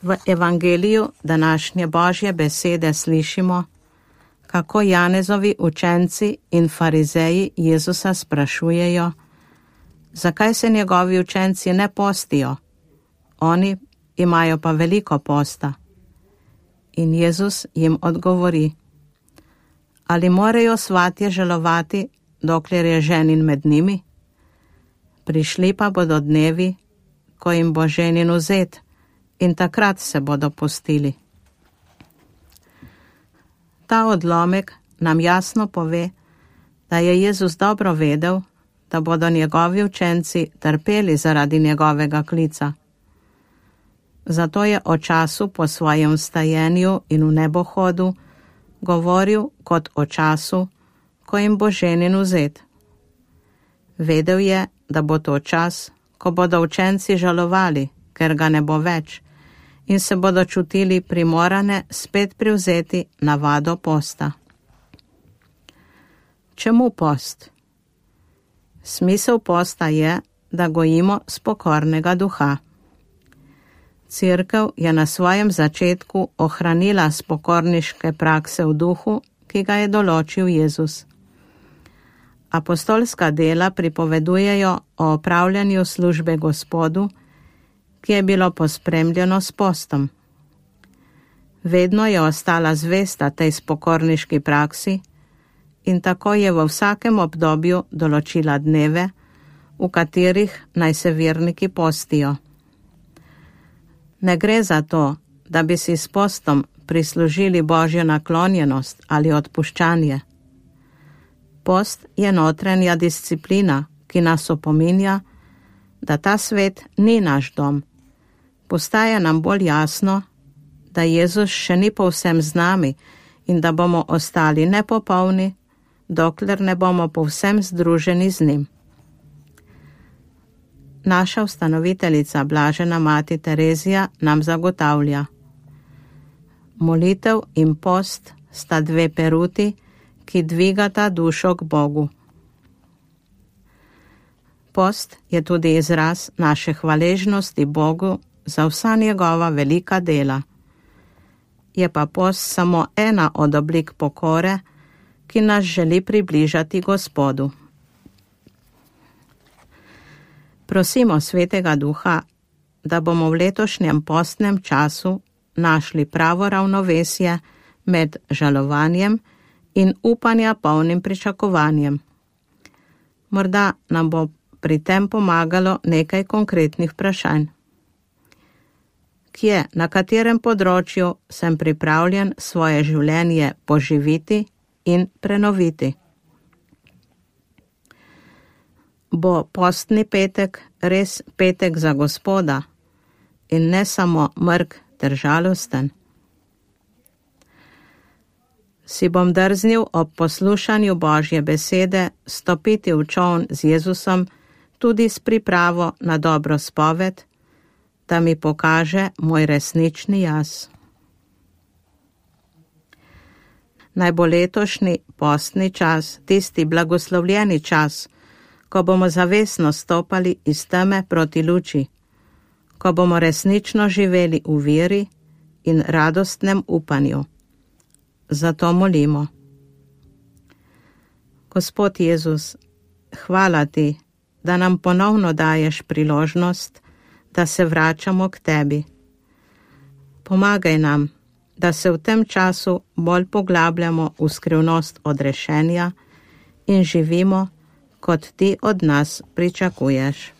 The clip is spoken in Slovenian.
V evangeliju današnje Božje besede slišimo, kako Janezovi učenci in farizeji Jezusa sprašujejo, zakaj se njegovi učenci ne postijo, oni imajo pa veliko posta. In Jezus jim odgovori, ali morajo svatje žalovati, dokler je ženin med njimi? Prišli pa bodo dnevi, ko jim bo ženin vzet, in takrat se bodo postili. Ta odlomek nam jasno pove, da je Jezus dobro vedel, da bodo njegovi učenci trpeli zaradi njegovega klica. Zato je o času po svojem vstajenju in v nebohodu govoril kot o času, ko jim bo ženin vzet. Vedel je, da bo to čas, ko bodo učenci žalovali, ker ga ne bo več, in se bodo čutili primorane spet privzeti navado posta. Čemu post? Smisel posta je, da gojimo spokornega duha. Cerkev je na svojem začetku ohranila spokorniške prakse v duhu, ki ga je določil Jezus. Apostolska dela pripovedujejo o opravljanju službe Gospodu, ki je bilo pospremljeno s postom. Vedno je ostala zvesta tej spokorniški praksi in tako je v vsakem obdobju določila dneve, v katerih naj se verniki postijo. Ne gre za to, da bi si s postom prislužili Božjo naklonjenost ali odpuščanje. Post je notranja disciplina, ki nas opominja, da ta svet ni naš dom. Postaja nam bolj jasno, da Jezus še ni povsem z nami in da bomo ostali nepopolni, dokler ne bomo povsem združeni z njim. Naša ustanoviteljica Blažena mati Terezija nam zagotavlja: molitev in post sta dve peruti, ki dvigata dušo k Bogu. Post je tudi izraz naše hvaležnosti Bogu za vsa njegova velika dela. Je pa post samo ena od oblik pokore, ki nas želi približati Gospodu. Prosimo Svetega Duha, da bomo v letošnjem postnem času našli pravo ravnovesje med žalovanjem in upanja polnim pričakovanjem. Morda nam bo pri tem pomagalo nekaj konkretnih vprašanj. Kje, na katerem področju sem pripravljen svoje življenje poživiti in prenoviti? Bo postni petek res petek za Gospoda in ne samo mrk ter žalosten? Si bom drznil ob poslušanju Božje besede stopiti v čoln z Jezusom tudi s pripravo na dobro spoved, da mi pokaže moj resnični jaz. Naj bo letošnji postni čas tisti blagoslovljeni čas, ko bomo zavestno stopali iz teme proti luči, ko bomo resnično živeli v veri in radostnem upanju. Zato molimo. Gospod Jezus, hvala ti, da nam ponovno daješ priložnost, da se vračamo k tebi. Pomagaj nam, da se v tem času bolj poglabljamo v skrivnost odrešenja in živimo, kot ti od nas pričakuješ.